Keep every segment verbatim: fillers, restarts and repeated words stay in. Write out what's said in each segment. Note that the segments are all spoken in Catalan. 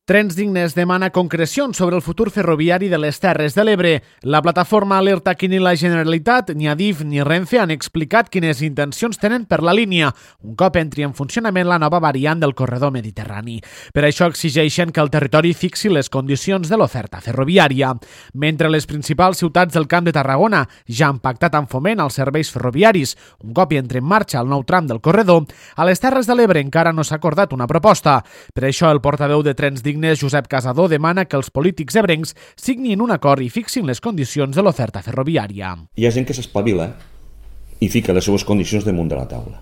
Trens Dignes demana concrecions sobre el futur ferroviari de les Terres de l'Ebre. La plataforma alerta que ni la Generalitat, ni Adif ni Renfe han explicat quines intencions tenen per la línia, un cop entri en funcionament la nova variant del corredor mediterrani. Per això exigeixen que el territori fixi les condicions de l'oferta ferroviària. Mentre les principals ciutats del Camp de Tarragona ja han pactat amb Foment els serveis ferroviaris, un cop hi entre en marxa el nou tram del corredor, a les Terres de l'Ebre encara no s'ha acordat una proposta. Per això el portaveu de Trens Dignes, Josep Casador, demana que els polítics ebrencs signin un acord i fixin les condicions de l'oferta ferroviària. Hi ha gent que s'espavila i fica les seues condicions damunt de la taula.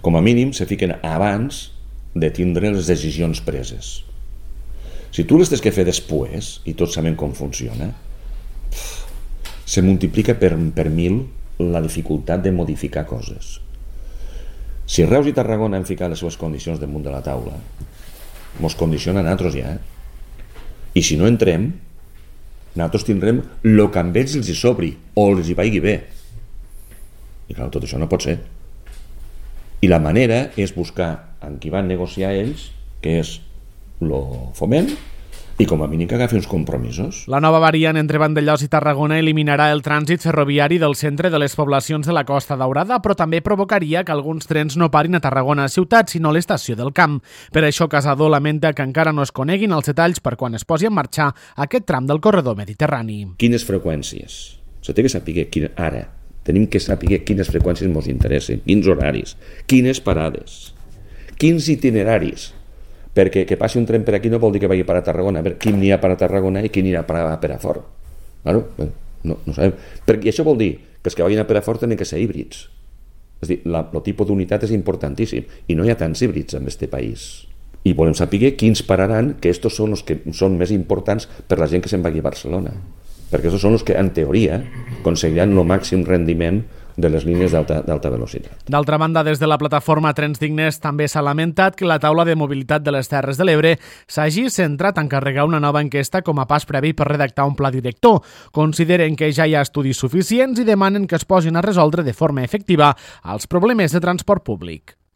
Com a mínim se fiquen abans de tindre les decisions preses. Si tu les tens que fer després, i tots sabem com funciona, se multiplica per, per mil la dificultat de modificar coses. Si Reus i Tarragona han ficat les seves condicions damunt de la taula, mos condiciona a nosaltres ja. Eh? I si no entrem, nosaltres tindrem el que amb ells els hi sobri o els hi vagi bé. I clar, tot això no pot ser. I la manera és buscar amb qui van negociar ells, que és el Foment, i com a mínim que agafi uns compromisos. La nova variant entre Vandellòs i Tarragona eliminarà el trànsit ferroviari del centre de les poblacions de la Costa Daurada, però també provocaria que alguns trens no parin a Tarragona ciutat, sinó a l'estació del Camp. Per això Casador lamenta que encara no es coneguin els detalls per quan es posi en marxa aquest tram del corredor mediterrani. Quines freqüències? Se té que saber quina, ara. Tenim que saber quines freqüències ens interessen, quins horaris, quines parades, quins itineraris. Perquè que passi un tren per aquí no vol dir que vagi per a Tarragona. A veure, quin n'hi ha per a Tarragona i quin n'hi ha per a Perafort? Claro, no, no sabem. I això vol dir que els que vagin a Perafort tenen que ser híbrids. És a dir, la, el tipus d'unitat és importantíssim i no hi ha tants híbrids en aquest país. I volem saber quins pararan, que estos són els que són més importants per la gent que se'n vagi a Barcelona. Perquè aquests són els que, en teoria, aconseguiran el màxim rendiment de les línies d'alta velocitat. D'altra banda, des de la plataforma Trens Dignes també s'ha lamentat que la taula de mobilitat de les Terres de l'Ebre s'hagi centrat a encarregar una nova enquesta com a pas previ per redactar un pla director. Consideren que ja hi ha estudis suficients i demanen que es posin a resoldre de forma efectiva els problemes de transport públic.